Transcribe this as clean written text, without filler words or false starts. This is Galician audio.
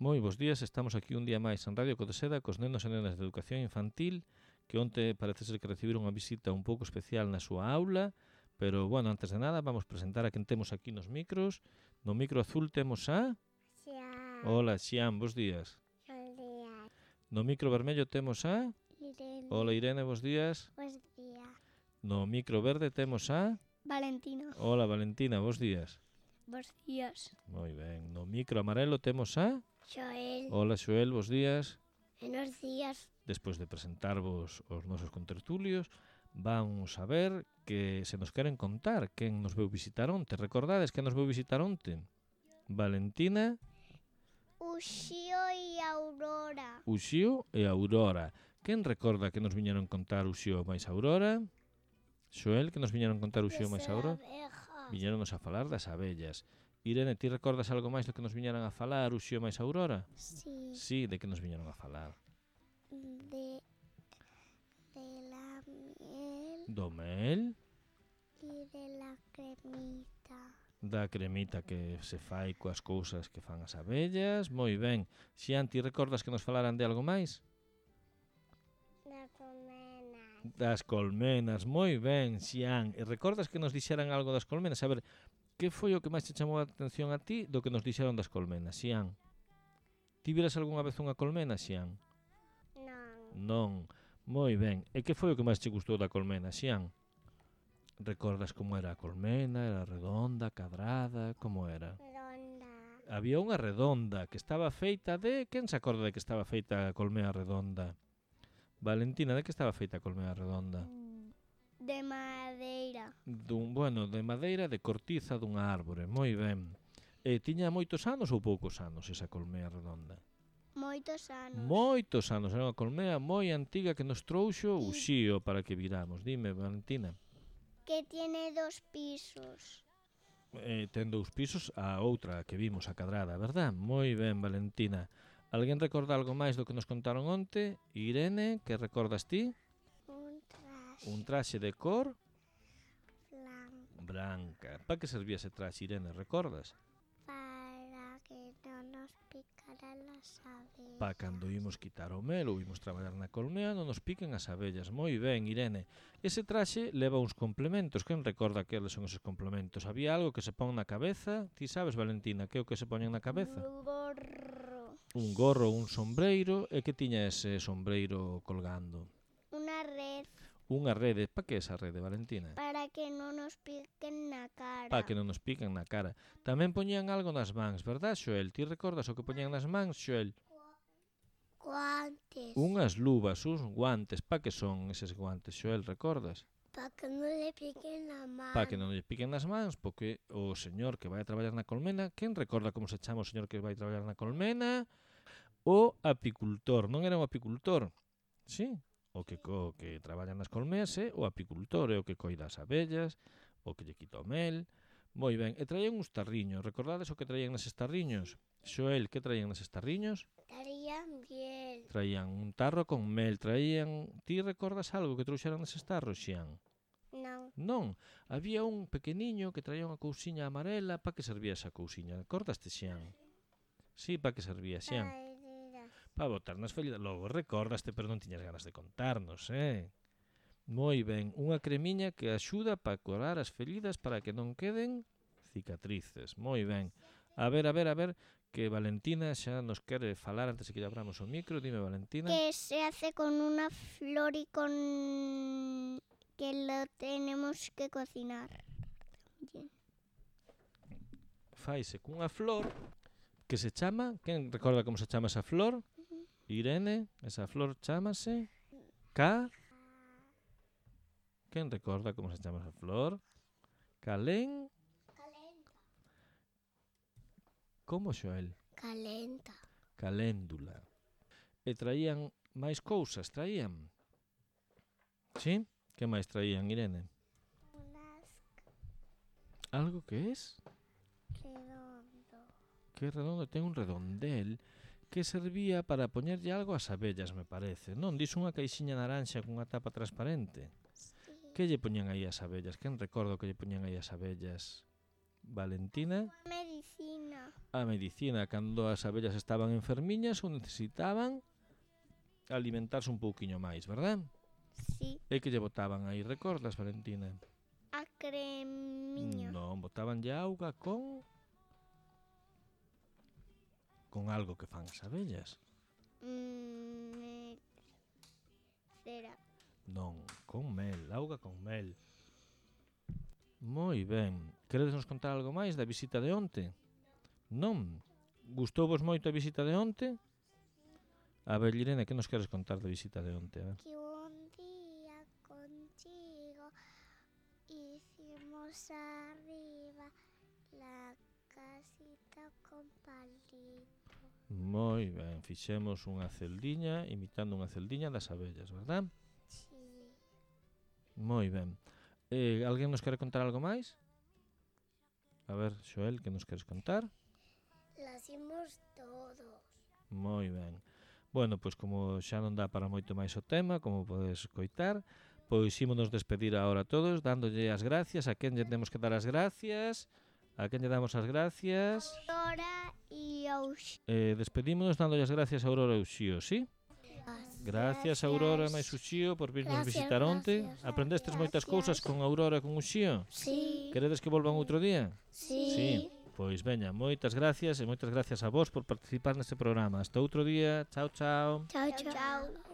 Moi bons días, estamos aquí un día máis en Radio Codeseda cos nenos e nenas de educación infantil que onte parece ser que recibiron unha visita un pouco especial na súa aula, pero, bueno, antes de nada vamos presentar a quen temos aquí nos micros. No micro azul temos a... Xian. Hola, Xian, bos días. Bos días. No micro vermello temos a... Irene. Hola, Irene, bos días. Bos días. No micro verde temos a... Valentina. Hola, Valentina, bos días. Bos días. Moi ben. No micro amarelo temos a... Xoel. Hola, Xoel, bos días. Buenos días. Despois de presentarvos os nosos contertulios, vamos a ver que se nos queren contar quen nos veu visitar onte. Recordades quen nos veu visitar onte? Valentina, Uxío e Aurora. Uxío e Aurora. Quen recorda que nos viñeron contar Uxío máis Aurora? Xoel, que nos viñeron contar Uxío máis Aurora? Viñéronos a falar das abellas. Irene, ti recordas algo máis do que nos viñeran a falar Uxío máis Aurora? Sí. Sí, de que nos viñeron a falar? De la miel Do mel, y de la cremita. da cremita que se fai coas cousas que fan as abellas. Moi ben. Xian, ti recordas que nos falaran de algo máis? La colmena. Das colmenas, moi ben, Xian. E recordas que nos dixeran algo das colmenas? A ver, que foi o que máis te chamou a atención a ti do que nos dixeron das colmenas, Xian? Ti viras algunha vez unha colmena, Xian? Non. Non. Moi ben. E que foi o que máis te gustou da colmena, Xian? Recordas como era a colmena? Era redonda, cadrada, como era? Ronda. Había unha redonda que estaba feita de... Quen se acorda de que estaba feita a colmena redonda? Valentina, de que estaba feita a colmena redonda? De madeira. De madeira de cortiza dunha árbore, moi ben. E tiña moitos anos ou poucos anos esa colmea redonda? Moitos anos. Moitos anos, era unha colmea moi antiga que nos trouxo Uxío para que viramos. Dime, Valentina. Que tiene 2 pisos. Ten 2 pisos, a outra que vimos, a cadrada, verdad? Moi ben, Valentina. Alguén recorda algo máis do que nos contaron onte? Irene, que recordas ti? Un traxe de cor Blanco. branca. Para que servía ese traxe, Irene, recordas? Para que no nos picaran las abejas. Pa cando imos quitar o mel ou imos traballar na colmea non nos piquen as abellas. Moi ben, Irene. Ese traxe leva uns complementos. Quen recorda que son esos complementos? Había algo que se pon na cabeza? Ti sabes, Valentina, que é o que se poñen na cabeza? Un gorro, un sombreiro. E que tiña ese sombreiro colgando? Una red Unha rede. Pa que esa rede, Valentina? para que no nos piquen na cara. Pa que non nos piquen na cara. Tamén poñían algo nas mans, verdad, Xoel? Ti recordas o que poñían nas mans, Xoel? Guantes. Unhas luvas, uns guantes. Pa que son eses guantes, Xoel, recordas? Para que no le piquen la mano. Pa que non lle piquen nas mans, porque o señor que vai a traballar na colmena, quen recorda como se chama o señor que vai a traballar na colmena? O apicultor, non era un apicultor? Sí, o que traballa nas colmeas é o apicultor, é o que coida as abellas, o que lle quita o mel. Moi ben, e traían uns tarriños, recordades o que traían neses tarriños? Xoel, que traían neses tarriños? Darían bien. Traían un tarro con mel, traían... Ti recordas algo que trouxeran neses tarros, Xian? No. Non, había un pequeniño que traía unha cousiña amarela. Pa que servía esa cousiña? Recordaste, Xian? Sí, pa que servía, Xian? Pa botar nas feridas. Logo recordaste, pero non tiñas ganas de contarnos, Moi ben, unha cremiña que axuda para curar as feridas para que non queden cicatrices. Moi ben. A ver, que Valentina xa nos quere falar antes de que lle abramos o micro. Dime, Valentina. Que se hace con una flor y con... que lo tenemos que cocinar. Bien. Faise cunha flor que se chama... Quen recorda como se chama esa flor? Irene, esa flor chámase... Quen recorda como se chama esa flor? Calén... Calenta. Como, Xoel? Calenta. Caléndula. E traían máis cousas, traían? Sí? Que máis traían, Irene? Unas Algo que es? redondo. Que redondo, ten un redondel que servía para poñerlle algo ás abellas, me parece. Non, dis unha caixiña naranxa cunha tapa transparente. Sí. Que lle poñían aí as abellas? Quen recordo que lle poñían aí as abellas? Valentina? Medicina. a medicina cando as abellas estaban enfermiñas ou necesitaban alimentarse un pouquiño máis, verdad? Sí, E que lle botaban aí, recordas, Valentina? a cremiña. Non, botaban auga con algo que fan as abellas. Cera. Non, con mel, auga con mel. Moi ben. Queredes nos contar algo máis da visita de onte? Non? Gustouvos moito a visita de onte? A ver, Irene, que nos queres contar da visita de onte? A ver. Que un día contigo hicimos arriba la casita con palito. Moi ben, fixemos unha celdiña imitando unha celdiña das abellas, verdad? Sí. Moi ben. Alguén nos quere contar algo máis? A ver, Xoel, que nos queres contar? Las hicimos todos. Moi ben. Bueno, pois como xa non dá para moito máis o tema, como podes coitar, pois ímonos despedir agora todos, dándolle as gracias. A quen lle temos que dar as gracias? A quen lle damos as gracias? Aurora y Auxi. Despedímonos dándolle as gracias a Aurora e Uxío, sí? Gracias, Aurora e Uxío, por virnos visitar onte. Aprendestes moitas cousas con Aurora e con Uxío? Sí. Queredes que volvan outro día? Sí. Pois veña, moitas gracias e moitas gracias a vos por participar neste programa. Hasta outro día. Chao, chao. Chao, chao.